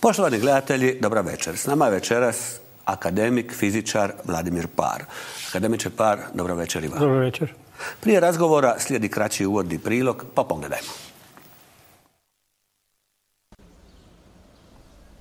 Poštovani gledatelji, dobra večer. S nama je večeras akademik, fizičar Vladimir Paar. Akademiče Paar, dobra večer i vam. Dobro večer. Prije razgovora slijedi kraći uvodni prilog, pa pogledajmo.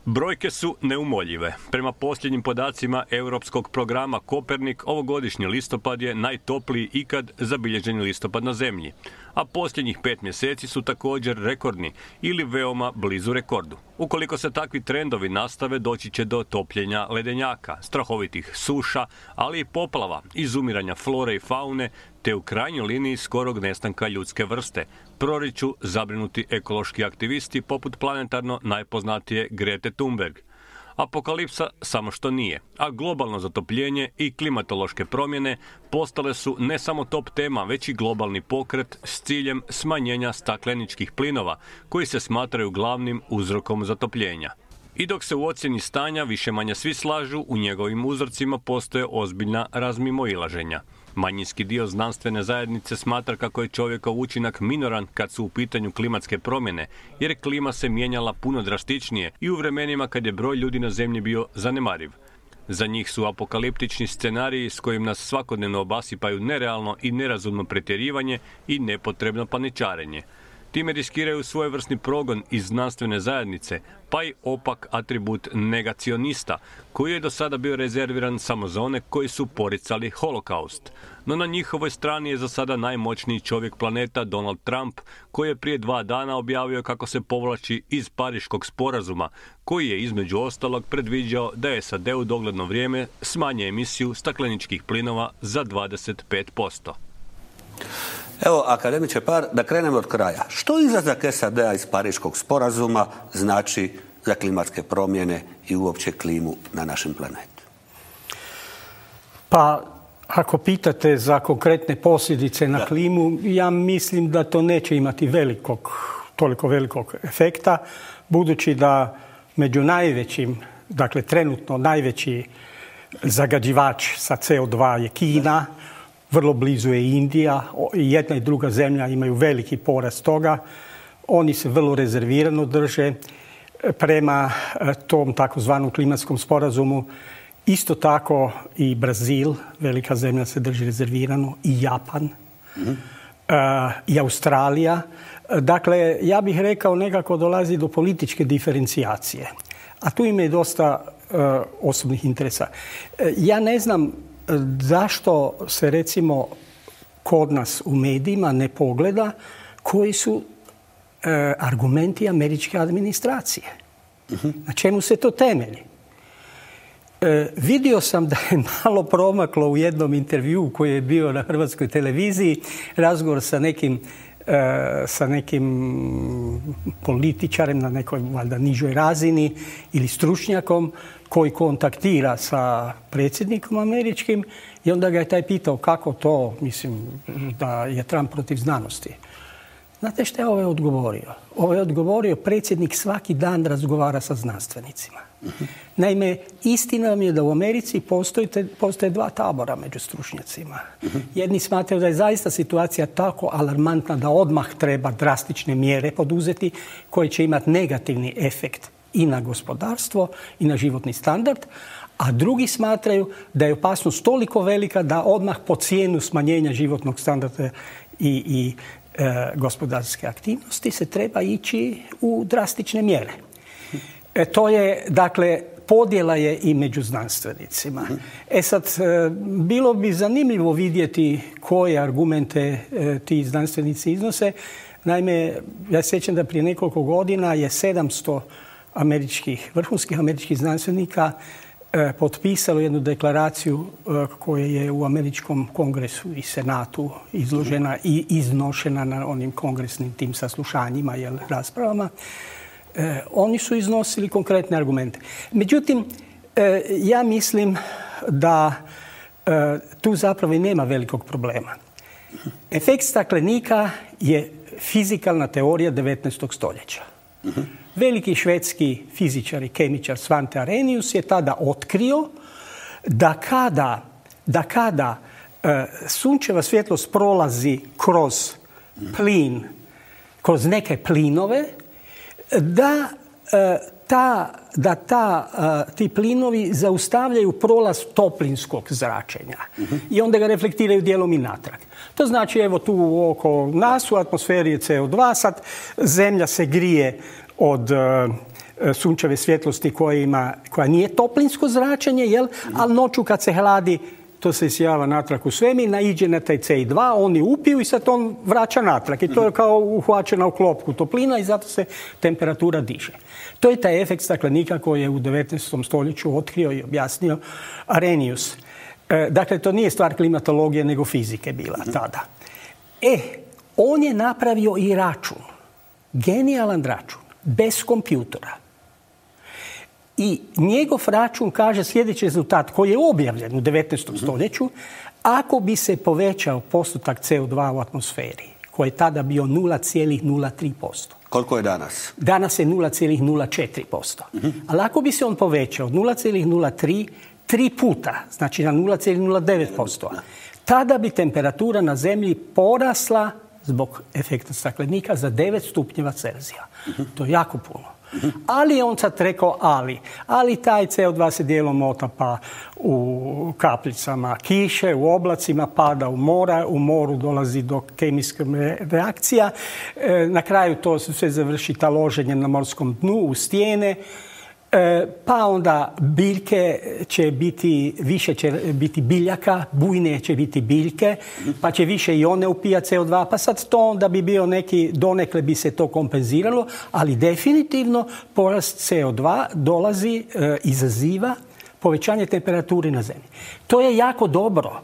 Brojke su neumoljive. Prema posljednjim podacima europskog programa Kopernik, ovogodišnji listopad je najtopliji ikad zabilježeni listopad na Zemlji. A posljednjih 5 mjeseci su također rekordni ili veoma blizu rekordu. Ukoliko se takvi trendovi nastave, doći će do topljenja ledenjaka, strahovitih suša, ali i poplava, izumiranja flore i faune, te u krajnjoj liniji skorog nestanka ljudske vrste, proriču zabrinuti ekološki aktivisti poput planetarno najpoznatije Grete Thunberg. Apokalipsa samo što nije, a globalno zatopljenje i klimatološke promjene postale su ne samo top tema, već i globalni pokret s ciljem smanjenja stakleničkih plinova, koji se smatraju glavnim uzrokom zatopljenja. I dok se u ocjeni stanja više-manje svi slažu, u njegovim uzorcima postoje ozbiljna razmimoilaženja. Manjinski dio znanstvene zajednice smatra kako je čovjekov učinak minoran kad su u pitanju klimatske promjene, jer klima se mijenjala puno drastičnije i u vremenima kad je broj ljudi na Zemlji bio zanemariv. Za njih su apokaliptični scenariji s kojim nas svakodnevno obasipaju nerealno i nerazumno pretjerivanje i nepotrebno paničarenje. Time riskiraju svojevrsni progon iz znanstvene zajednice, pa i opak atribut negacionista, koji je do sada bio rezerviran samo za one koji su poricali holokaust. No na njihovoj strani je za sada najmoćniji čovjek planeta Donald Trump, koji je prije 2 dana objavio kako se povlači iz Pariškog sporazuma, koji je između ostalog predviđao da SAD u dogledno vrijeme smanje emisiju stakleničkih plinova za 25%. Evo, akademiče Paar, da krenemo od kraja. Što izlazak SAD-a iz Pariškog sporazuma znači za klimatske promjene i uopće klimu na našem planetu? Pa, ako pitate za konkretne posljedice na klimu, ja mislim da to neće imati toliko velikog efekta, budući da među najvećim, dakle trenutno najveći zagađivač sa CO2 je Kina, vrlo blizu je Indija, jedna i druga zemlja imaju veliki porast toga. Oni se vrlo rezervirano drže prema tom takozvanom klimatskom sporazumu. Isto tako i Brazil, velika zemlja, se drži rezervirano, i Japan, i Australija. Dakle, ja bih rekao nekako dolazi do političke diferencijacije. A tu ima i dosta osobnih interesa. Ja ne znam zašto se recimo kod nas u medijima ne pogleda koji su argumenti američke administracije. Na čemu se to temelji? Vidio sam da je malo promaklo u jednom intervjuu koji je bio na hrvatskoj televiziji razgovor sa nekim političarem na nekoj valjda nižoj razini ili stručnjakom koji kontaktira sa predsjednikom američkim i onda ga je taj pitao kako to, mislim, da je Trump protiv znanosti. Znate što je ovaj odgovorio? Ovaj je odgovorio, predsjednik svaki dan razgovara sa znanstvenicima. Naime, istina vam je da u Americi postoje 2 tabora među stručnjacima. Jedni smatraju da je zaista situacija tako alarmantna da odmah treba drastične mjere poduzeti koje će imati negativni efekt i na gospodarstvo i na životni standard, a drugi smatraju da je opasnost toliko velika da odmah po cijenu smanjenja životnog standarda i gospodarske aktivnosti se treba ići u drastične mjere. To je, dakle, podjela je i među znanstvenicima. Sad, bilo bi zanimljivo vidjeti koje argumente ti znanstvenici iznose. Naime, ja se sjećam da prije nekoliko godina je 700 vrhunskih američkih znanstvenika potpisalo jednu deklaraciju koja je u američkom kongresu i senatu izložena i iznošena na onim kongresnim tim saslušanjima, raspravama. Oni su iznosili konkretne argumente. Međutim, ja mislim da tu zapravo i nema velikog problema. Efekt staklenika je fizikalna teorija 19. stoljeća. Veliki švedski fizičar i kemičar Svante Arrhenius je tada otkrio da kada sunčeva svjetlost prolazi kroz plin, kroz neke plinove, da ti plinovi zaustavljaju prolaz toplinskog zračenja i onda ga reflektiraju dijelom i natrag. To znači, evo tu oko nas u atmosferi je CO2, sad Zemlja se grije od sunčeve svjetlosti koja nije toplinsko zračenje, ali noću kad se hladi, to se isijava natrag u svemir, naiđe na taj CO2, oni upiju i sad on vraća natrag. I to je kao uhvaćena u klopku toplina i zato se temperatura diže. To je taj efekt staklenika koji je u 19. stoljeću otkrio i objasnio Arrhenius. Dakle, to nije stvar klimatologije, nego fizike bila tada. On je napravio i račun. Genijalan račun. Bez kompjutora. I njegov račun kaže sljedeći rezultat koji je objavljen u 19. stoljeću. Ako bi se povećao postotak CO2 u atmosferi, koji je tada bio 0,03%. Koliko je danas? Danas je 0,04%. Ali ako bi se on povećao 0,03, 3 puta, znači na 0,09%, tada bi temperatura na Zemlji porasla zbog efekta staklenika za 9 stupnjeva Celzija. To je jako puno. Ali je on sad rekao ali taj CO2 se dijelom otapa u kapljicama kiše, u oblacima, pada u mora, u moru dolazi do kemijskih reakcija, na kraju to sve završi taloženjem na morskom dnu, u stijene, pa onda biljke će biti, više će biti biljaka, bujne će biti biljke, pa će više i one upijati CO2, pa sad to onda bi bio neki, donekle bi se to kompenziralo, ali definitivno porast CO2 dolazi, izaziva povećanje temperature na Zemlji. To je jako dobro.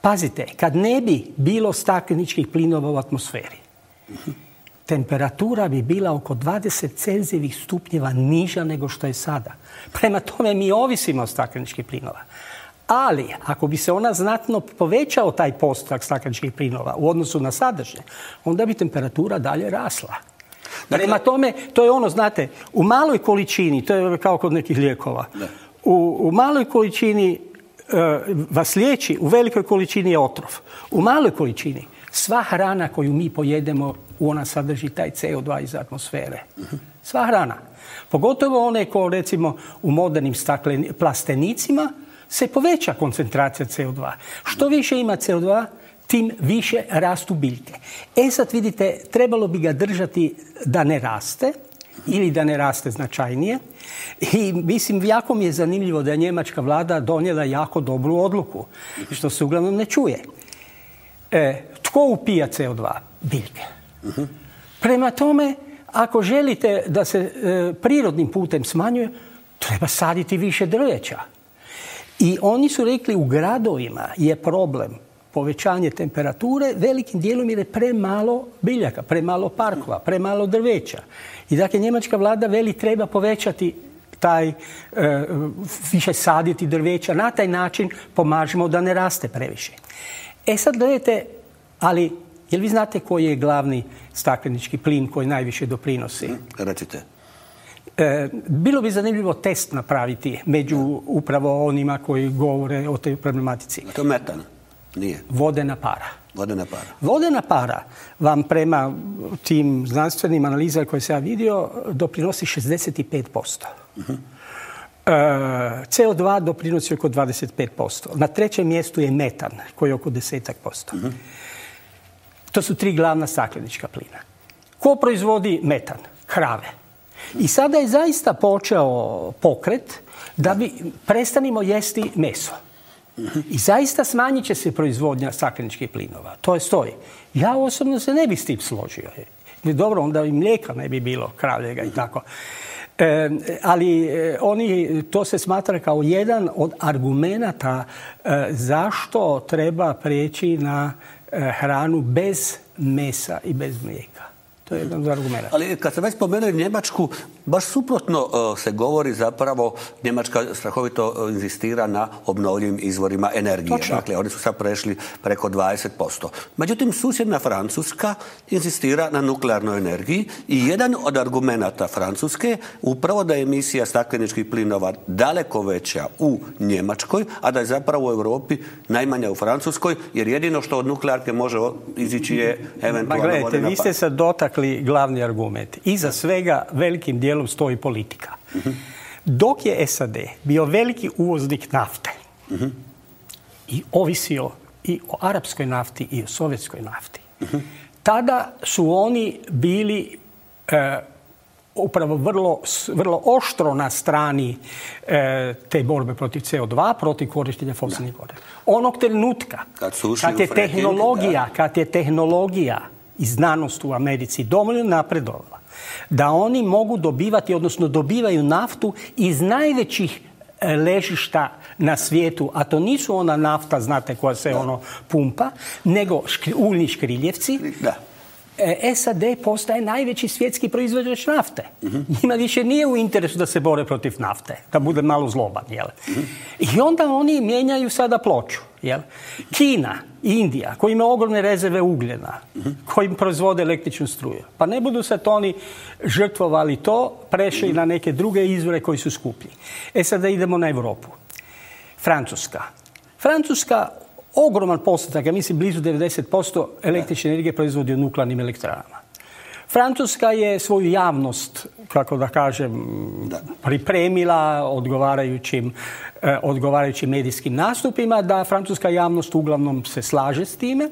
Pazite, kad ne bi bilo stakleničkih plinova u atmosferi, temperatura bi bila oko 20 Celzijevih stupnjeva niža nego što je sada. Prema tome mi ovisimo od stakleničkih plinova. Ali ako bi se ona znatno povećao taj postotak stakleničkih plinova u odnosu na sadašnje, onda bi temperatura dalje rasla. Prema tome, to je ono, znate, u maloj količini, to je kao kod nekih lijekova, u maloj količini vas liječi, u velikoj količini je otrov. U maloj količini sva hrana koju mi pojedemo, ona sadrži taj CO2 iz atmosfere. Sva hrana. Pogotovo one ko recimo u modernim plastenicima se poveća koncentracija CO2. Što više ima CO2, tim više rastu biljke. Sad vidite, trebalo bi ga držati da ne raste ili da ne raste značajnije. I mislim, jako mi je zanimljivo da je njemačka vlada donijela jako dobru odluku, što se uglavnom ne čuje. Tko upija CO2? Biljke. Prema tome, ako želite da se prirodnim putem smanjuje, treba saditi više drveća. I oni su rekli u gradovima je problem povećanje temperature velikim dijelom jer je premalo biljaka, premalo parkova, premalo drveća. I dakle, njemačka vlada veli treba povećati više saditi drveća. Na taj način pomažemo da ne raste previše. Sad gledajte, ali jel vi znate koji je glavni staklenički plin koji najviše doprinosi? Recite. Bilo bi zanimljivo test napraviti među upravo onima koji govore o toj problematici. To je metan? Nije. Vodena para. Vodena para. Vodena para vam prema tim znanstvenim analizama koje sam ja vidio doprinosi 65%. CO2 doprinosi oko 25%. Na trećem mjestu je metan koji je oko 10%. To su 3 glavna staklenička plina. Ko proizvodi metan? Krave. I sada je zaista počeo pokret da prestanimo jesti meso. I zaista smanjit će se proizvodnja stakleničkih plinova. To je stoji. Ja osobno se ne bih s tim složio. Dobro, onda i mlijeka ne bi bilo, kravljega i tako. Ali to se smatra kao jedan od argumenata zašto treba preći na hranu bez mesa i bez mlijeka. To je jedan od argumenta. Ali kad se već spomenuli Njemačku, baš suprotno se govori zapravo, Njemačka strahovito inzistira na obnovljivim izvorima energije. Točno. Dakle, oni su sad prešli preko 20%. Međutim, susjedna Francuska inzistira na nuklearnoj energiji i jedan od argumenata Francuske upravo da je emisija stakleničkih plinova daleko veća u Njemačkoj, a da je zapravo u Europi najmanja u Francuskoj, jer jedino što od nuklearke može izići je eventualno vodena para. Vi ste se dotakli glavni argument. Iza svega velikim dijelom stoji politika. Dok je SAD bio veliki uvoznik nafte i ovisio i o arapskoj nafti i o sovjetskoj nafti, tada su oni bili upravo vrlo oštro na strani te borbe protiv CO2, protiv korištenja fosilnih goriva. Onog trenutka kad je tehnologija i znanost u Americi dovoljno napredovala da oni mogu dobivati, odnosno dobivaju naftu iz najvećih ležišta na svijetu, a to nisu ona nafta, znate, koja se pumpa, nego uljni škriljevci. SAD postaje najveći svjetski proizvođač nafte. Njima više nije u interesu da se bore protiv nafte, da bude malo zloban. I onda oni mijenjaju sada ploču. Kina, Indija, koji ima ogromne rezerve ugljena, koji proizvode električnu struju. Pa ne budu sad oni žrtvovali to, prešli na neke druge izvore koji su skuplji. Sada idemo na Europu. Francuska ogroman postotak, ja mislim blizu 90% električne energije proizvodi u nuklearnim elektranama. Francuska je svoju javnost, kako da kažem, pripremila odgovarajućim medijskim nastupima, da francuska javnost uglavnom se slaže s time.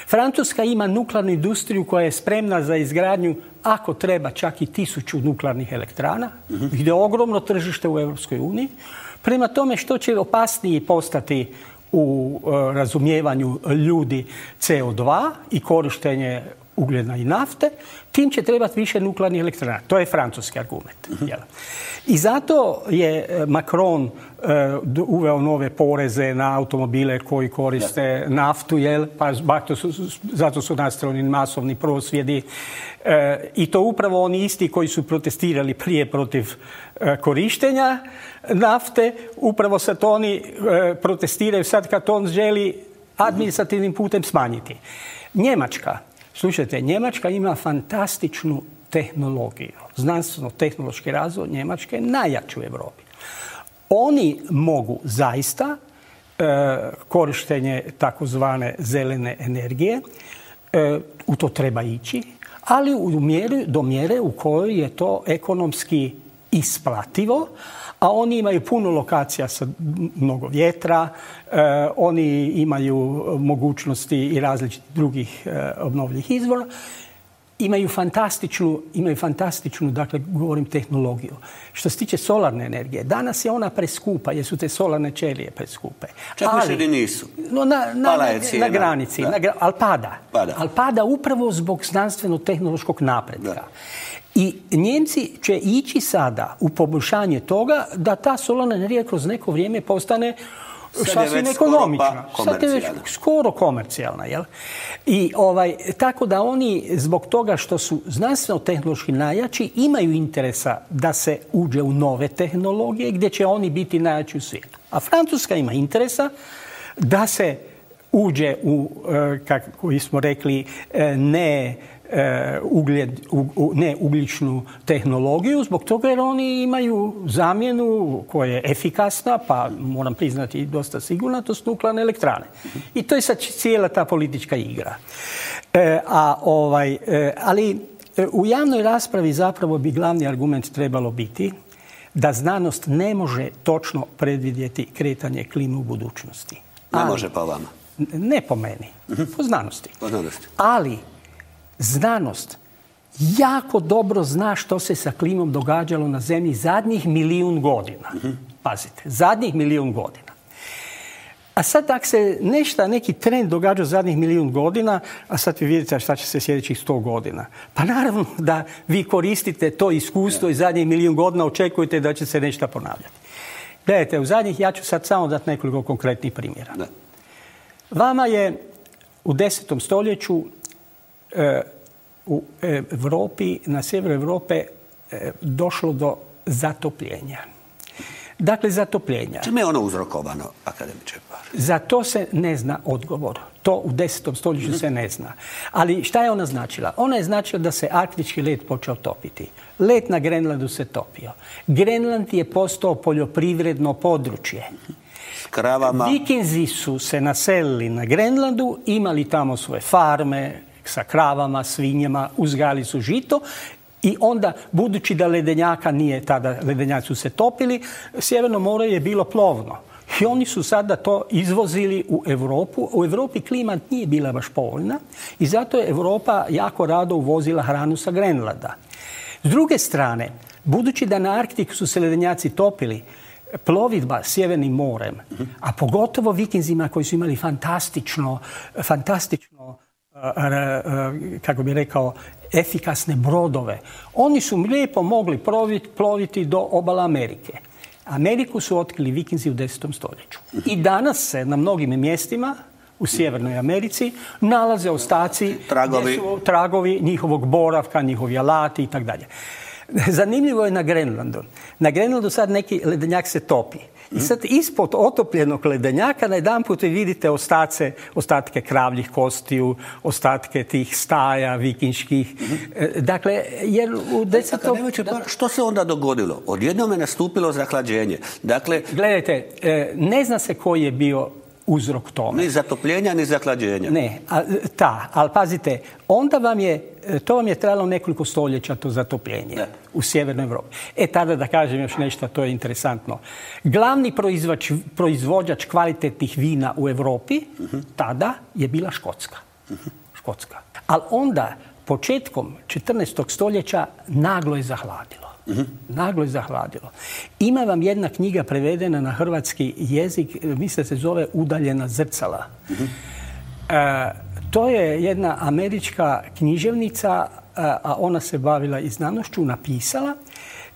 Francuska ima nuklearnu industriju koja je spremna za izgradnju, ako treba, čak i 1000 nuklearnih elektrana, gdje je ogromno tržište u Europskoj uniji. Prema tome, što će opasniji postati u razumijevanju ljudi CO2 i korištenje ugljena i nafte, tim će trebati više nuklearnih elektrana. To je francuski argument. I zato je Macron uveo nove poreze na automobile koji koriste naftu, pa zato su nastali masovni prosvjedi. I to upravo oni isti koji su protestirali prije protiv korištenja nafte, upravo sad oni protestiraju sad kad on želi administrativnim putem smanjiti. Njemačka ima fantastičnu tehnologiju. Znanstveno-tehnološki razvoj Njemačke je najjači u Europi. Oni mogu zaista korištenje takozvane zelene energije, u to treba ići, ali do mjere u kojoj je to ekonomski isplativo, a oni imaju puno lokacija sa mnogo vjetra, oni imaju mogućnosti i različitih drugih obnovljivih izvora, imaju fantastičnu, dakle, govorim, tehnologiju. Što se tiče solarne energije, danas je ona preskupa, jer su te solarne ćelije preskupe. Čak više nisu. Na granici, ali pada. Ali pada upravo zbog znanstveno-tehnološkog napretka. I Njemci će ići sada u poboljšanje toga da ta solarna energija kroz neko vrijeme postane sasvim ekonomična. Sad je već skoro komercijalna. I tako da oni, zbog toga što su znanstveno-tehnološki najjači, imaju interesa da se uđe u nove tehnologije gdje će oni biti najjači u svijetu. A Francuska ima interesa da se uđe u, kako smo rekli, neugljičnu tehnologiju, zbog toga jer oni imaju zamjenu koja je efikasna, pa moram priznati dosta sigurna, to su nuklearne elektrane. I to je sad cijela ta politička igra. Ali u javnoj raspravi zapravo bi glavni argument trebalo biti da znanost ne može točno predvidjeti kretanje klime u budućnosti. Ne može po vama? Ne po meni, po znanosti. Ali znanost jako dobro zna što se sa klimom događalo na Zemlji zadnjih 1.000.000 godina. Pazite, zadnjih 1.000.000 godina. A sad ako se neki trend događa zadnjih 1.000.000 godina, a sad vi vidite šta će se sljedećih 100 godina. Pa naravno da vi koristite to iskustvo i zadnjih 1.000.000 godina očekujete da će se nešto ponavljati. Gledajte, ja ću sad samo dati nekoliko konkretnih primjera. Da. Vama je u 10. stoljeću u Europi, na sjeveru Europe, došlo do zatopljenja. Dakle, zatopljenja. Čime je ono uzrokovano, akademiče Par? Za to se ne zna odgovor. To u 10. stoljeću se ne zna. Ali šta je ona značila? Ona je značila da se arktički led počeo topiti. Led na Grenlandu se topio. Grenland je postao poljoprivredno područje. Kravama. Vikinzi su se naselili na Grenlandu, imali tamo svoje farme sa kravama, svinjama, uzgajali su žito I onda, budući da ledenjaka nije tada, ledenjaci su se topili, Sjeverno more je bilo plovno. I oni su sada to izvozili u Europu. U Europi klima nije bila baš povoljna i zato je Europa jako rado uvozila hranu sa Grenlanda. S druge strane, budući da na Arktiku su se ledenjaci topili, plovidba Sjevernim morem, a pogotovo vikinzima koji su imali fantastično, kako bi rekao, efikasne brodove, oni su lijepo mogli ploviti do obala Amerike. Ameriku su otkrili vikinzi u 10. stoljeću. I danas se na mnogim mjestima u Sjevernoj Americi nalaze ostaci, tragovi njihovog boravka, njihovi alati i tako dalje. Zanimljivo je na Grenlandu. Na Grenlandu sad neki ledenjak se topi. I sad ispod otopljenog ledenjaka najedanput vidite ostatke kravljih kostiju, ostatke tih staja vikinških. Dakle, jer u 10. Što se onda dogodilo? Odjednom je nastupilo zahlađenje. Dakle, gledajte, ne zna se koji je bio uzrok tome. Ni zatopljenja, ni zahlađenja. Ne, ali pazite, onda to vam je trajalo nekoliko stoljeća to zatopljenje u Sjevernoj Europi. Tada da kažem još nešto, to je interesantno. Glavni proizvođač kvalitetnih vina u Europi tada je bila Škotska. Ali onda, početkom 14. stoljeća, naglo je zahladilo. Ima vam jedna knjiga prevedena na hrvatski jezik, mislim da se zove Udaljena zrcala. To je jedna američka književnica, a ona se bavila i znanošću, napisala,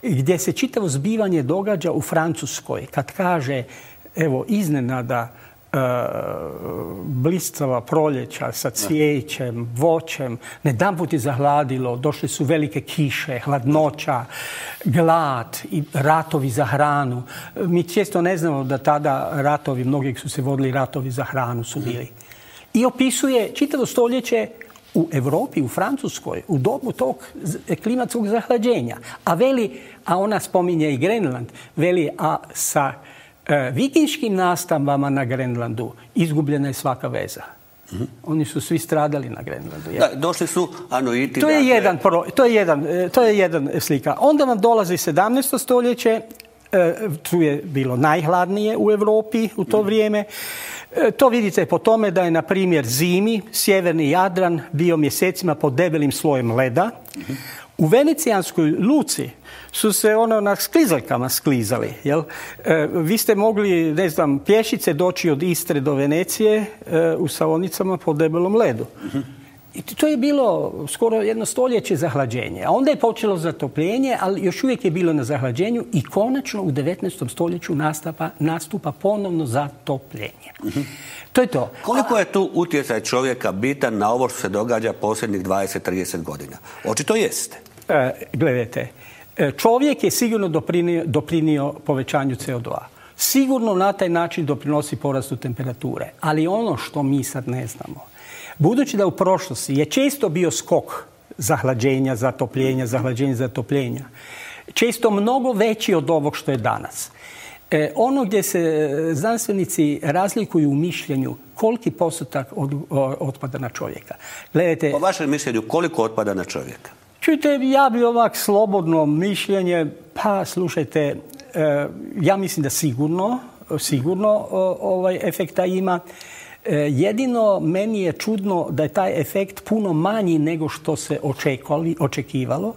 gdje se čitavo zbivanje događa u Francuskoj. Kad kaže, evo, iznenada blistava proljeća sa cvijećem, voćem, nedanput je zahladilo, došle su velike kiše, hladnoća, glad i ratovi za hranu. Mi često ne znamo da tada ratovi, mnogi su se vodili ratovi za hranu su bili. I opisuje čitavo stoljeće u Europi, u Francuskoj, u dobu tog klimatskog zahlađenja. A ona spominje i Grenland, veli, a sa vikinškim nastambama na Grenlandu izgubljena je svaka veza. Oni su svi stradali na Grenlandu. Došli su Anuiti. To je jedan slika. Onda vam dolazi 17. stoljeće, tu je bilo najhladnije u Europi u to vrijeme. To vidite po tome da je, na primjer, zimi sjeverni Jadran bio mjesecima pod debelim slojem leda. U venecijanskoj luci su se na sklizaljkama sklizali. Jel? Vi ste mogli, pješice doći od Istre do Venecije u Savonicama po debelom ledu. I to je bilo skoro jedno stoljeće zahlađenje. A onda je počelo zatopljenje, ali još uvijek je bilo na zahlađenju i konačno u 19. stoljeću nastupa ponovno zatopljenje. To je to. Koliko je tu utjecaj čovjeka bitan na ovo što se događa posljednjih 20-30 godina? Očito jeste. Gledajte, čovjek je sigurno doprinio povećanju CO2. Sigurno na taj način doprinosi porastu temperature. Ali ono što mi sad ne znamo, budući da u prošlosti je često bio skok zahlađenja, zatopljenja, često mnogo veći od ovog što je danas. Ono gdje se znanstvenici razlikuju u mišljenju, koliki postotak otpada na čovjeka. Gledajte, po vašem mišljenju, koliko otpada na čovjeka? Čujte, ja bi ovak slobodno mišljenje, pa slušajte, ja mislim da sigurno efekta ima. Jedino meni je čudno da je taj efekt puno manji nego što se očekivalo.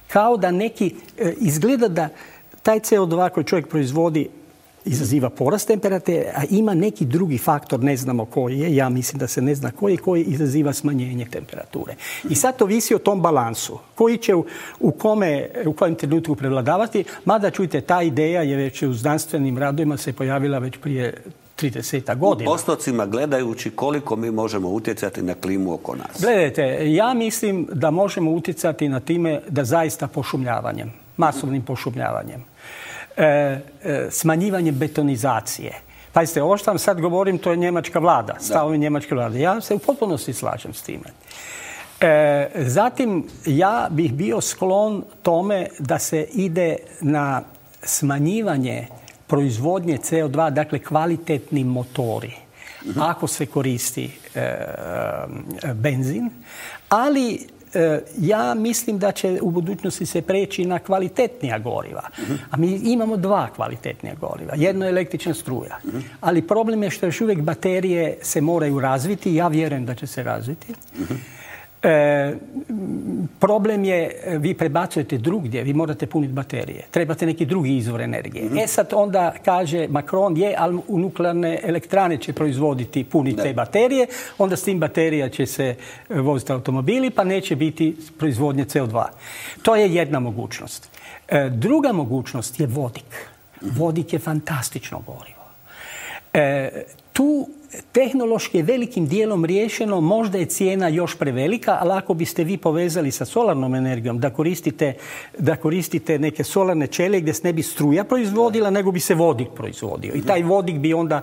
Kao da izgleda da taj CO2 koji čovjek proizvodi izaziva porast temperature, a ima neki drugi faktor, ne znamo koji je, ja mislim da se ne zna koji izaziva smanjenje temperature. I sad to visi o tom balansu, koji će u kojem trenutku prevladavati, mada čujte, ta ideja je već u znanstvenim radovima se pojavila već prije 30 godina. U postocima gledajući koliko mi možemo utjecati na klimu oko nas. Gledajte, ja mislim da možemo utjecati na time da zaista pošumljavanjem, masovnim pošumljavanjem, smanjivanjem betonizacije. Pazite, ovo što vam sad govorim, to je njemačka vlada, stavovi njemačke vlade. Ja se u potpunosti slažem s time. Zatim, ja bih bio sklon tome da se ide na smanjivanje proizvodnje CO2, dakle kvalitetni motori, ako se koristi benzin, ali ja mislim da će u budućnosti se preći na kvalitetnija goriva. A mi imamo dva kvalitetnija goriva. Jedno je električna struja. Ali problem je što još uvijek baterije se moraju razviti. Ja vjerujem da će se razviti. Problem je, vi prebacujete drugdje, vi morate puniti baterije. Trebate neki drugi izvor energije. Sad onda kaže Macron, ali u nuklearne elektrane će proizvoditi, puniti te baterije, onda s tim baterija će se voziti automobili, pa neće biti proizvodnje CO2. To je jedna mogućnost. Druga mogućnost je vodik. Vodik je fantastično gorivo. Tu tehnološki je velikim dijelom riješeno, možda je cijena još prevelika, ali ako biste vi povezali sa solarnom energijom, da koristite neke solarne ćelije gdje se ne bi struja proizvodila, nego bi se vodik proizvodio. I taj vodik bi onda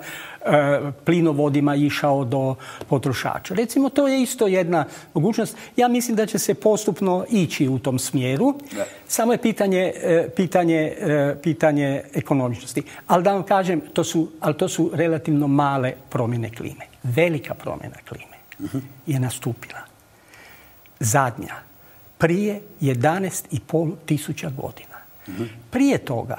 plinovodima išao do potrošača. Recimo, to je isto jedna mogućnost. Ja mislim da će se postupno ići u tom smjeru. Samo je pitanje ekonomičnosti. Ali da vam kažem, to su relativno male promjene klime. Velika promjena klime je nastupila. Zadnja. Prije 11,5 tisuća godina. Prije toga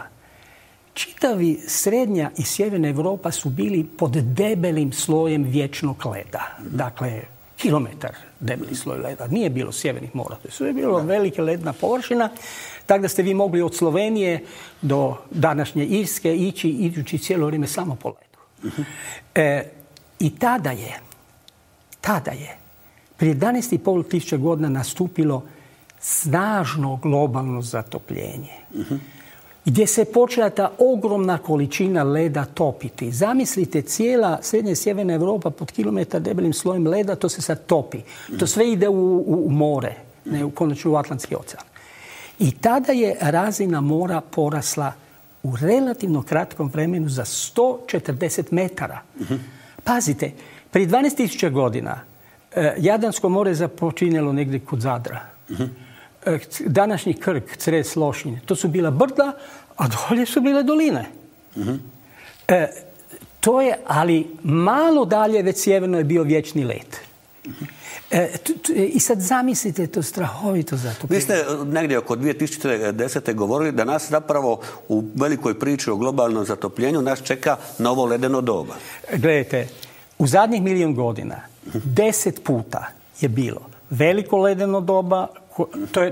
čitavi srednja i sjeverna Europa su bili pod debelim slojem vječnog leda. Dakle, kilometar debeli sloj leda. Nije bilo sjevernih mora. To je bilo velika ledna površina. Tako da ste vi mogli od Slovenije do današnje Irske ići cijelo vrijeme samo po ledu. I tada je prije 11,5 tisuća godina nastupilo snažno globalno zatopljenje. Gdje se počela ta ogromna količina leda topiti. Zamislite, cijela srednja i sjeverna Europa pod kilometar debelim slojem leda, to se sad topi. To sve ide u more, ne konačno u Atlantski ocean. I tada je razina mora porasla u relativno kratkom vremenu za 140 metara. Pazite, prije 12.000 godina Jadransko more započinjalo negdje kod Zadra. Današnji Krk, Cres, Lošinj, to su bila brda, a dolje su bile doline. To je, ali malo dalje već sjeverno je bio vječni led. I sad zamislite to strahovito zatopljenje. Vi ste negdje oko 2010. govorili da nas zapravo u velikoj priči o globalnom zatopljenju nas čeka novo ledeno doba. Gledajte, u zadnjih 1.000.000 godina 10 puta je bilo veliko ledeno doba.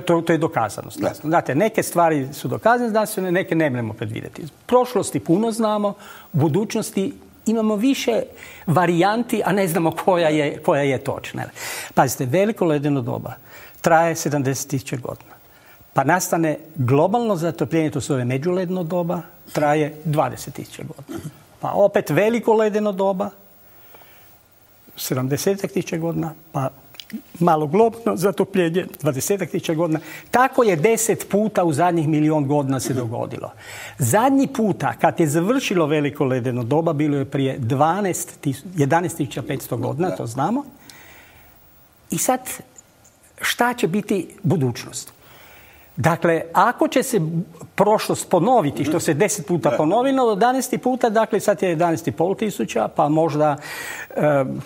To je dokazano. Znate, neke stvari su dokazane znanstvene, neke ne možemo predvidjeti. Prošlosti puno znamo, u budućnosti imamo više varijanti, a ne znamo koja je točna. Pazite, veliko ledeno doba traje 70.000 godina. Pa nastane globalno zatopljenje, to se zove međuledeno doba, traje 20.000 godina. Pa opet veliko ledeno doba, 70.000 godina, pa malo globalno zatopljenje, 20.000 godina. Tako je 10 puta u zadnjih 1.000.000 godina se dogodilo. Zadnji puta, kad je završilo veliko ledeno doba, bilo je prije 11.500 godina, to znamo. I sad, šta će biti budućnost? Dakle, ako će se prošlost ponoviti, što se 10 puta ponovilo, do 11 puta, dakle sad je 11,5 tisuća, pa možda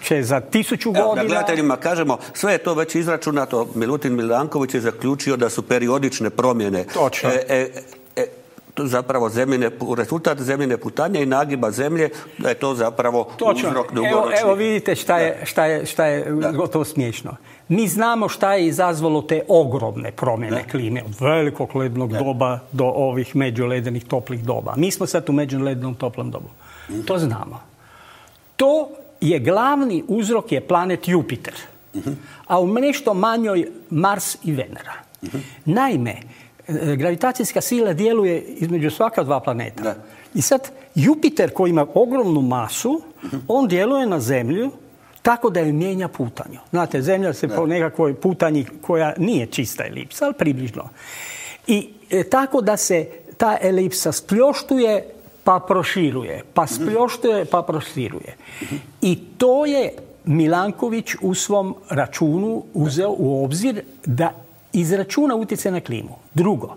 će za 1000 godina... Da gledateljima kažemo, sve je to već izračunato. Milutin Milanković je zaključio da su periodične promjene. Točno. Zapravo rezultat zemljine putanje i nagiba zemlje, da je to zapravo uzrok dugoročni. Evo vidite šta je gotovo smiješno. Mi znamo šta je izazvalo te ogromne promjene klime, od velikog lednog doba do ovih međuledenih toplih doba. Mi smo sad u međuledenom toplom dobu. To znamo. To je glavni uzrok je planet Jupiter, a u nešto manjoj Mars i Venera. Naime, gravitacijska sila djeluje između svaka dva planeta. I sad Jupiter koji ima ogromnu masu, on djeluje na Zemlju tako da ju mijenja putanju. Znate, Zemlja se po nekakvoj putanji koja nije čista elipsa, ali približno. I tako da se ta elipsa spljoštuje pa proširuje, pa spljoštuje pa proširuje. I to je Milanković u svom računu uzeo u obzir da izračuna utjecaj na klimu. Drugo,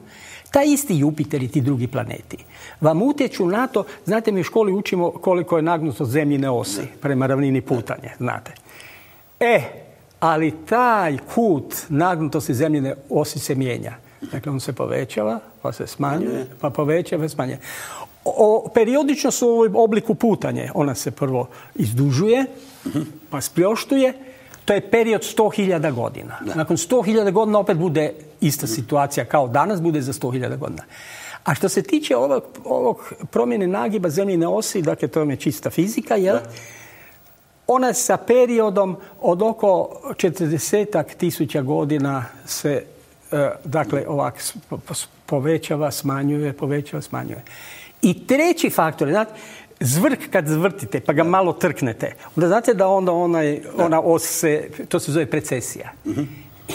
taj isti Jupiter i ti drugi planeti vam utječu na to, znate, mi u školi učimo koliko je nagnutost zemljine osi prema ravnini putanje, znate. ali taj kut nagnutosti zemljine osi se mijenja. Dakle, on se povećava, pa se smanjuje, pa povećava, smanjuje. Periodično su u obliku putanje. Ona se prvo izdužuje, pa spljoštuje. To je period 100.000 godina. Nakon 100.000 godina opet bude ista situacija kao danas, bude za 100.000 godina. A što se tiče ovog promjene nagiba zemljine osi, dakle, to je čista fizika, jel? Ona sa periodom od oko 40.000 godina se dakle, ovak povećava, smanjuje, povećava, smanjuje. I treći faktor, znate, zvrk kad zvrtite pa ga malo trknete, onda znate da onda ona os se, to se zove precesija.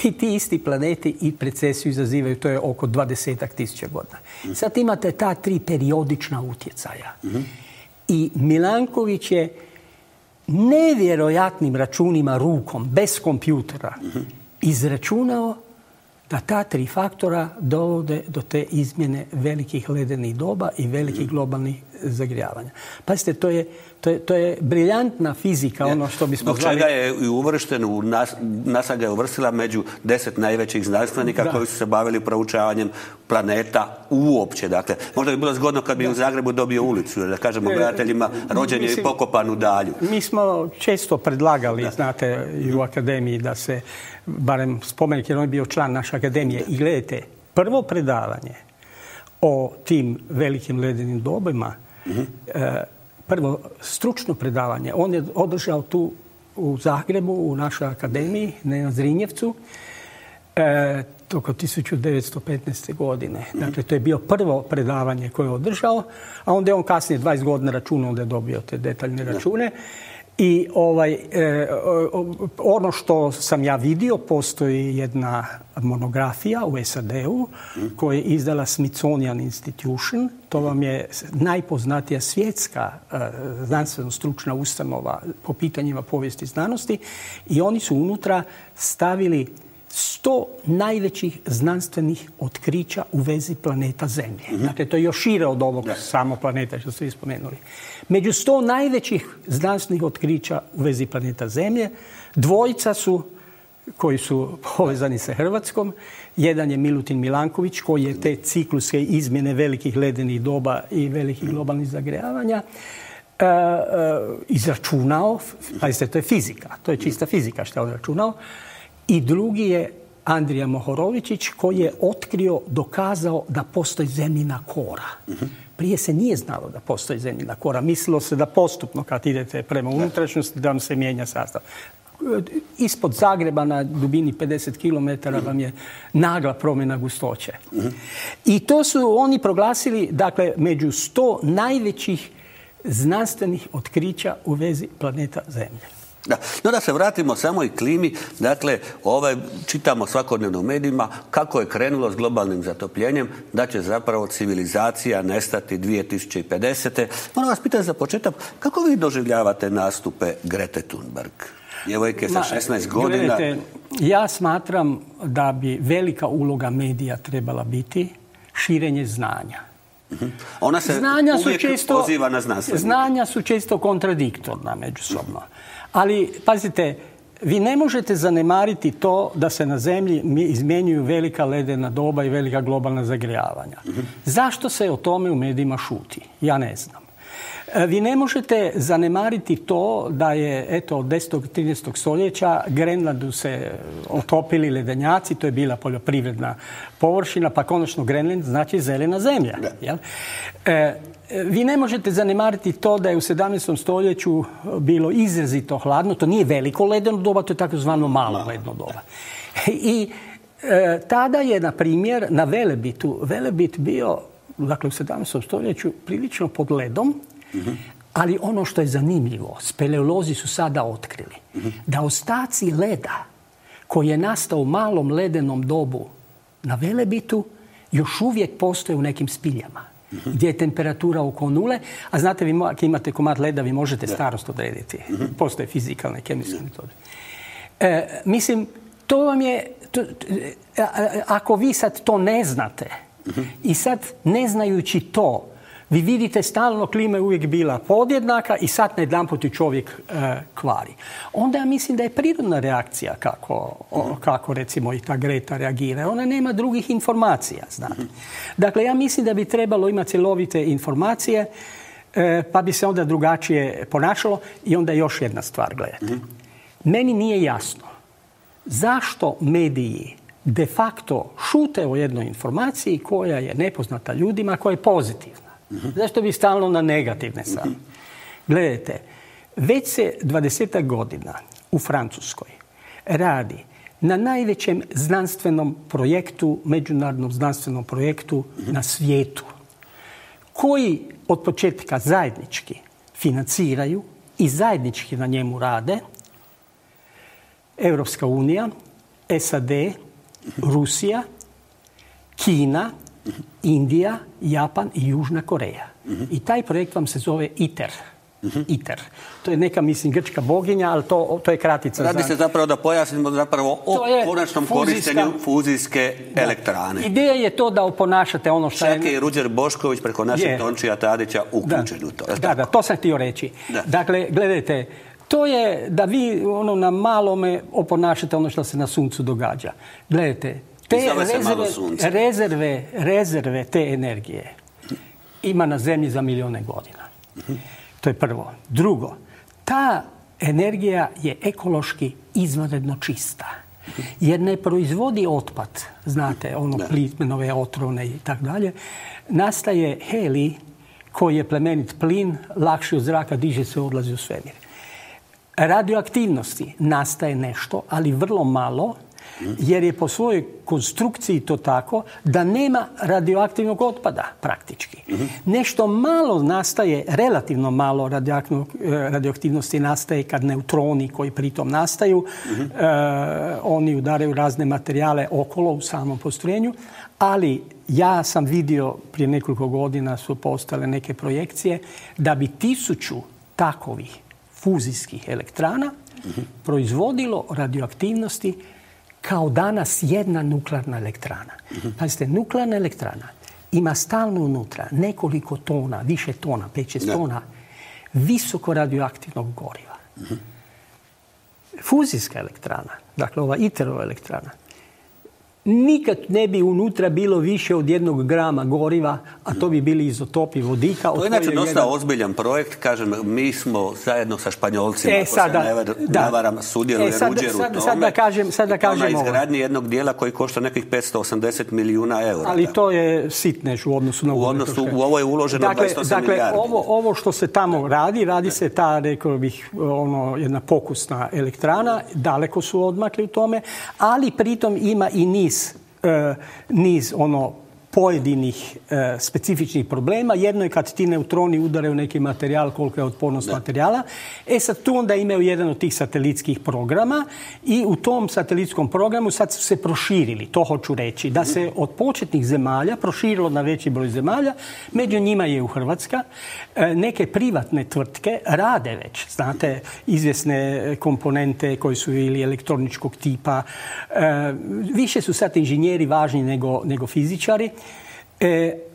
I ti isti planeti i precesiju izazivaju, to je oko 20.000 godina. Sad imate ta 3 periodična utjecaja. I Milanković je nevjerojatnim računima rukom, bez kompjutera, izračunao da ta 3 faktora dovode do te izmjene velikih ledenih doba i velikih globalnih zagrijavanja. Pazite, to je briljantna fizika, ono što bismo zvali... Zbog čega je uvršten, NASA ga je uvrstila među 10 najvećih znanstvenika koji su se bavili proučavanjem planeta uopće. Dakle, možda bi bilo zgodno kad bi u Zagrebu dobio ulicu, da kažemo gledateljima, rođen je i pokopan u Dalju. Mi smo često predlagali, znate, i u akademiji da se barem spomenik, jer on je bio član naše akademije. I gledajte, prvo predavanje o tim velikim ledenim dobima, prvo stručno predavanje, on je održao tu u Zagrebu, u našoj akademiji, na Zrinjevcu, oko 1915. godine. Dakle, to je bio prvo predavanje koje je održao, a onda je on kasnije 20 godina računao, onda je dobio te detaljne račune. I ono što sam ja vidio, postoji jedna monografija u SAD-u koju je izdala Smithsonian Institution. To vam je najpoznatija svjetska znanstveno-stručna ustanova po pitanjima povijesti znanosti i oni su unutra stavili 100 najvećih znanstvenih otkrića u vezi planeta Zemlje. Dakle, to je još šire od ovog samo planeta što ste spomenuli. Među 100 najvećih znanstvenih otkrića u vezi planeta Zemlje, 2 su koji su povezani sa Hrvatskom. Jedan je Milutin Milanković koji je te cikluske izmjene velikih ledenih doba i velikih globalnih zagrijavanja izračunao. Pazite, to je fizika. To je čista fizika što je on računao. I drugi je Andrija Mohorovičić koji je otkrio, dokazao da postoji zemljina kora. Prije se nije znalo da postoji zemljina kora. Mislilo se da postupno kad idete prema unutrašnjosti da vam se mijenja sastav. Ispod Zagreba na dubini 50 km vam je nagla promjena gustoće. I to su oni proglasili, dakle, među 100 najvećih znanstvenih otkrića u vezi planeta Zemlje. Da se vratimo samo i klimi. Dakle, čitamo svakodnevno u medijima kako je krenulo s globalnim zatopljenjem, da će zapravo civilizacija nestati 2050. Moram vas pitati za početak, kako vi doživljavate nastupe Grete Thunberg? Djevojke sa 16 godina. Gledajte, ja smatram da bi velika uloga medija trebala biti širenje znanja. Ona se uvijek poziva na znanstvenike. Znanja su često kontradiktorna međusobno. Ali, pazite, vi ne možete zanemariti to da se na Zemlji izmjenjuju velika ledena doba i velika globalna zagrijavanja. Zašto se o tome u medijima šuti? Ja ne znam. Vi ne možete zanemariti to da je, eto, od 10. 13. stoljeća Grenlandu se otopili ledenjaci, to je bila poljoprivredna površina, pa konačno Grenland znači zelena zemlja. Jel? Vi ne možete zanemariti to da je u 17. stoljeću bilo izrazito hladno. To nije veliko ledeno doba, to je takozvano malo ledeno doba. I tada je, na primjer, na Velebitu, Velebit bio, dakle, u 17. stoljeću prilično pod ledom, ali ono što je zanimljivo, speleolozi su sada otkrili da ostaci leda koji je nastao u malom ledenom dobu na Velebitu još uvijek postoje u nekim spiljama gdje je temperatura oko 0, a znate, vi ako imate komad leda, vi možete starost odrediti. Postoje fizikalne, kemijske metode. Mislim, to vam je... ako vi sad to ne znate i sad ne znajući to, Vi vidite stalno klima je uvijek bila podjednaka i sad najedanput ju čovjek kvari. Onda ja mislim da je prirodna reakcija kako recimo i ta Greta reagira. Ona nema drugih informacija, znate. Dakle, ja mislim da bi trebalo imati cjelovite informacije, pa bi se onda drugačije ponašalo. I onda još jedna stvar, gledajte. Meni nije jasno zašto mediji de facto šute o jednoj informaciji koja je nepoznata ljudima, koja je pozitivna. Zašto bi stalno na negativne sad? Gledajte, već se 20 godina u Francuskoj radi na najvećem znanstvenom projektu, međunarodnom znanstvenom projektu na svijetu, koji od početka zajednički financiraju i zajednički na njemu rade Europska unija, SAD, Rusija, Kina, Indija, Japan i Južna Koreja. I taj projekt vam se zove ITER. ITER. To je neka, mislim, grčka boginja, ali to je kratica. Radi se zapravo da pojasnimo zapravo o konačnom korištenju fuzijske elektrane. Ideja je to da oponašate ono što je... Čak je i Ruđer Bošković preko našeg Tončija Tadića uključen u to. Da, to sam htio reći. Da. Dakle, gledajte, to je da vi na malome oponašate ono što se na suncu događa. Gledajte, te rezerve te energije ima na zemlji za milijune godina. To je prvo. Drugo, ta energija je ekološki izvanredno čista. Jer ne proizvodi otpad, znate, plitmenove, otrovne i tako dalje. Nastaje helij koji je plemenit plin, lakši od zraka, diže se, odlazi u svemir. Radioaktivnosti nastaje nešto, ali vrlo malo, jer je po svojoj konstrukciji to tako da nema radioaktivnog otpada praktički. Nešto malo nastaje, relativno malo radioaktivnosti nastaje kad neutroni koji pritom nastaju, oni udaraju razne materijale okolo u samom postrojenju, ali ja sam vidio prije nekoliko godina su postale neke projekcije da bi 1000 takovih fuzijskih elektrana proizvodilo radioaktivnosti kao danas jedna nuklearna elektrana. Pazite, nuklearna elektrana ima stalno unutra nekoliko tona, više tona, 5-6 tona visoko radioaktivnog goriva. Fuzijska elektrana, dakle ova ITER-ova elektrana, nikad ne bi unutra bilo više od 1 grama goriva, a to bi bili izotopi vodika. To je inače dosta ozbiljan projekt. Kažem, mi smo zajedno sa Španjolcima, ako se ne varam, sudjeluje Ruđer u tome. Sad da kažem ovo. Na izgradnji jednog dijela koji košta nekih 580 milijuna eura. Ali to je sitnež u odnosu na u ovo je uloženo 28 milijardi. Ovo što se tamo radi se ta, rekao bih, jedna pokusna elektrana. Daleko su odmakli u tome, ali pritom ima i niz pojedinih specifičnih problema. Jedno je kad ti neutroni udaraju neki materijal, koliko je otpornost materijala. Sad tu onda imaju jedan od tih satelitskih programa i u tom satelitskom programu sad su se proširili, to hoću reći, da se od početnih zemalja proširilo na veći broj zemalja, među njima je u Hrvatska. Neke privatne tvrtke rade već, znate, izvjesne komponente koji su ili elektroničkog tipa. Više su sad inženjeri važni nego fizičari.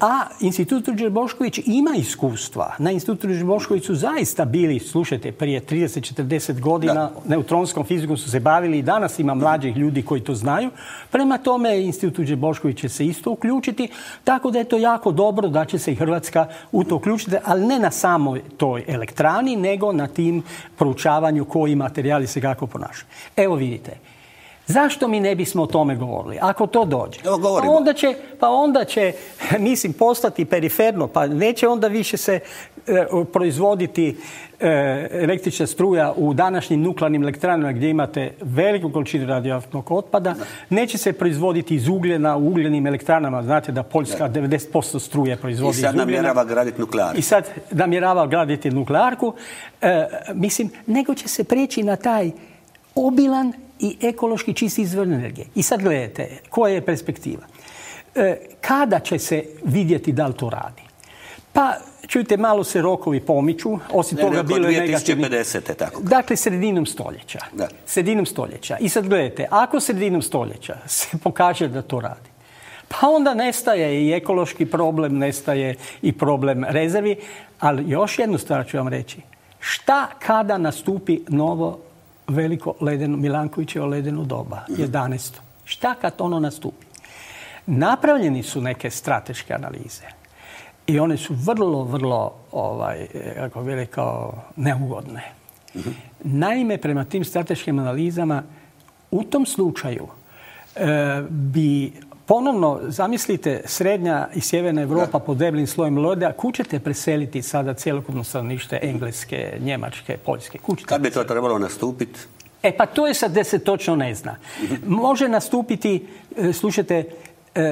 A Institut Ruđer Bošković ima iskustva. Na Institutu Ruđer Bošković su zaista bili, slušajte, prije 30-40 godina neutronskom fizikom su se bavili i danas ima mlađih ljudi koji to znaju. Prema tome, Institut Ruđer Bošković će se isto uključiti, tako da je to jako dobro da će se i Hrvatska u to uključiti, ali ne na samoj toj elektrani, nego na tim proučavanju koji materijali se kako ponašaju. Evo vidite. Zašto mi ne bismo o tome govorili? Ako to dođe. Pa onda će, mislim, postati periferno, pa neće onda više se proizvoditi električna struja u današnjim nuklearnim elektranama gdje imate veliku količinu radioaktivnog otpada. Neće se proizvoditi iz ugljena u ugljenim elektranama. Znate da Poljska 90% struje proizvodi iz ugljena. I sad namjerava graditi nuklearku. Mislim, nego će se preći na taj obilan i ekološki čisti izvor energije. I sad gledajte, koja je perspektiva? Kada će se vidjeti da li to radi? Pa, čujte, malo se rokovi pomiču. Osim toga, bilo je negativni. 2050. tako. Dakle, sredinom stoljeća. Sredinom stoljeća. I sad gledajte, ako sredinom stoljeća se pokaže da to radi, Pa onda nestaje i ekološki problem, nestaje i problem rezervi. Ali još jednu stvar ću vam reći. Šta kada nastupi novo veliko Milankovićevo ledeno doba, 11. Šta kad ono nastupi? Napravljeni su neke strateške analize. I one su vrlo, kako bih rekao, neugodne. Naime, prema tim strateškim analizama, u tom slučaju bi ponovno, zamislite, srednja i sjeverna Europa pod deblim slojem leda, kud ćete preseliti sada cjelokupno stanovništvo Engleske, Njemačke, Poljske? Kad bi to trebalo nastupiti? Pa to je sad gdje se točno ne zna. Može nastupiti, slušajte,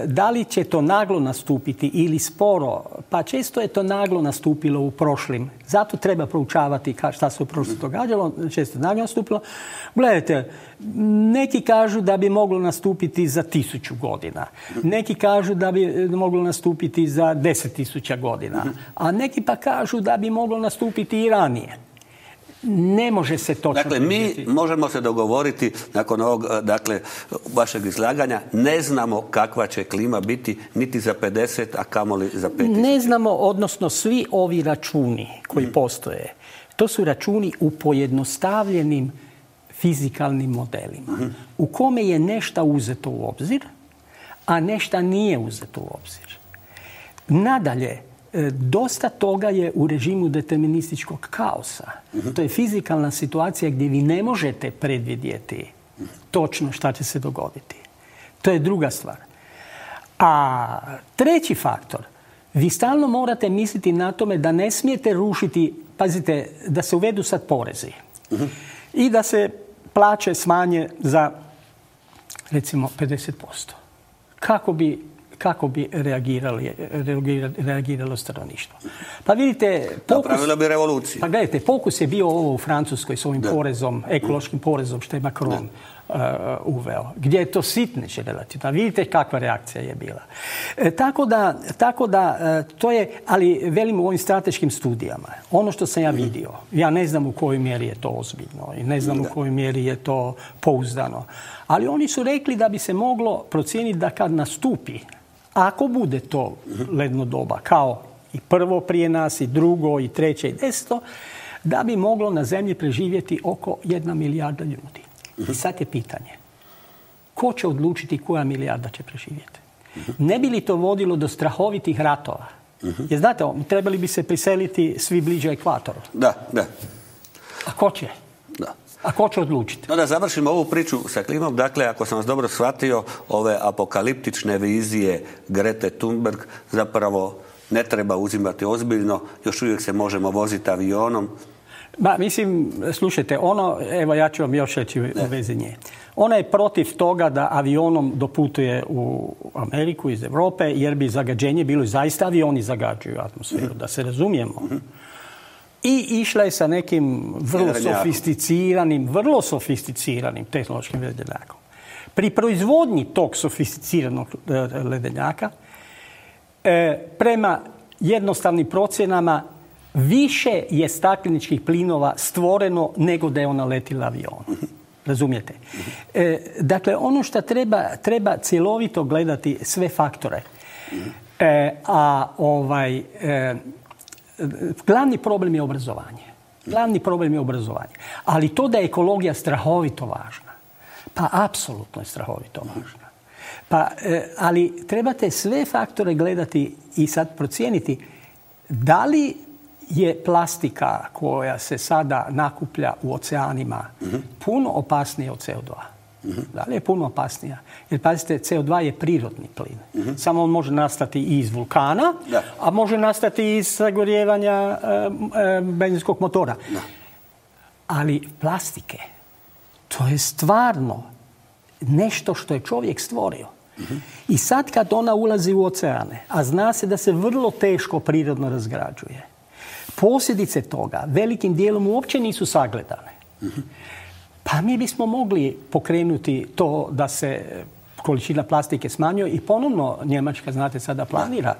da li će to naglo nastupiti ili sporo, pa često je to naglo nastupilo u prošlim. Zato treba proučavati šta se u prošlosti događalo, često naglo nastupilo. Gledajte, neki kažu da bi moglo nastupiti za 1000 godina. Neki kažu da bi moglo nastupiti za 10.000 godina. A neki pa kažu da bi moglo nastupiti i ranije. Ne može se točno... Dakle, mi možemo se dogovoriti nakon ovog, vašeg izlaganja, ne znamo kakva će klima biti niti za 50, a kamoli za 5000. Ne znamo, odnosno svi ovi računi koji postoje, to su računi u pojednostavljenim fizikalnim modelima, u kome je nešto uzeto u obzir, a nešto nije uzeto u obzir. Nadalje, dosta toga je u režimu determinističkog kaosa. To je fizikalna situacija gdje vi ne možete predvidjeti točno šta će se dogoditi. To je druga stvar. A treći faktor, vi stalno morate misliti na tome da ne smijete rušiti, pazite, da se uvedu sad porezi i da se plaće smanje za, recimo, 50%. Kako bi reagiralo stanovništvo? Pa vidite... Napravilo bi revoluciju. Pa gledajte, fokus je bio ovo u Francuskoj s ovim porezom, ekološkim porezom što je Macron uveo. Gdje je to sitniš relativno. Vidite kakva reakcija je bila. Tako da to je, ali velim u ovim strateškim studijama, ono što sam ja vidio, ja ne znam u kojoj mjeri je to ozbiljno i ne znam u kojoj mjeri je to pouzdano. Ali oni su rekli da bi se moglo procijeniti da kad nastupi, ako bude to ledno doba, kao i prvo prije nas, i drugo, i treće, i 10, da bi moglo na zemlji preživjeti oko 1 milijarda ljudi. I sad je pitanje, ko će odlučiti koja milijarda će preživjeti? Ne bi li to vodilo do strahovitih ratova? Jer znate, trebali bi se priseliti svi bliže ekvatoru. Da. A ko će? Da. A ko će odlučiti? No da završimo ovu priču sa klimom. Dakle, ako sam vas dobro shvatio, ove apokaliptične vizije Grete Thunberg zapravo ne treba uzimati ozbiljno. Još uvijek se možemo voziti avionom. Mislim, slušajte, evo ja ću vam još reći u vezi nje. Ona je protiv toga da avionom doputuje u Ameriku iz Europe, jer bi zagađenje bilo i zaista avioni zagađuju atmosferu, da se razumijemo. I išla je sa nekim vrlo sofisticiranim tehnološkim ledenjakom. Pri proizvodnji tog sofisticiranog ledenjaka, prema jednostavnim procjenama, više je stakleničkih plinova stvoreno nego da je ona letila avionom. Razumijete? Dakle, ono što treba cjelovito gledati sve faktore. Glavni problem je obrazovanje. Ali to da je ekologija strahovito važna. Pa apsolutno je strahovito važna. Ali trebate sve faktore gledati i sad procijeniti da li je plastika koja se sada nakuplja u oceanima puno opasnija od CO2. Da li je puno opasnija? Jer pazite, CO2 je prirodni plin. Samo on može nastati i iz vulkana, a može nastati i iz sagorijevanja benzinskog motora. Ali plastike, to je stvarno nešto što je čovjek stvorio. I sad kad ona ulazi u oceane, a zna se da se vrlo teško prirodno razgrađuje, posljedice toga velikim dijelom uopće nisu sagledane. Pa mi bismo mogli pokrenuti to da se količina plastike smanjuje i ponovno Njemačka, znate, sada planira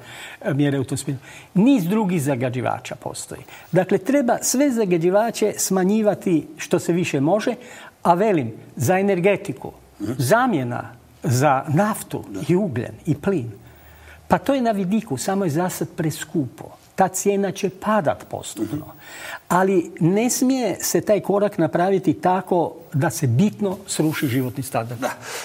mjere u tom smislu. Niz drugih zagađivača postoji. Dakle, treba sve zagađivače smanjivati što se više može, a velim, za energetiku, zamjena za naftu i ugljen i plin. Pa to je na vidiku, samo je za sad preskupo. Ta cijena će padat postupno. Ali ne smije se taj korak napraviti tako da se bitno sruši životni standard. Da.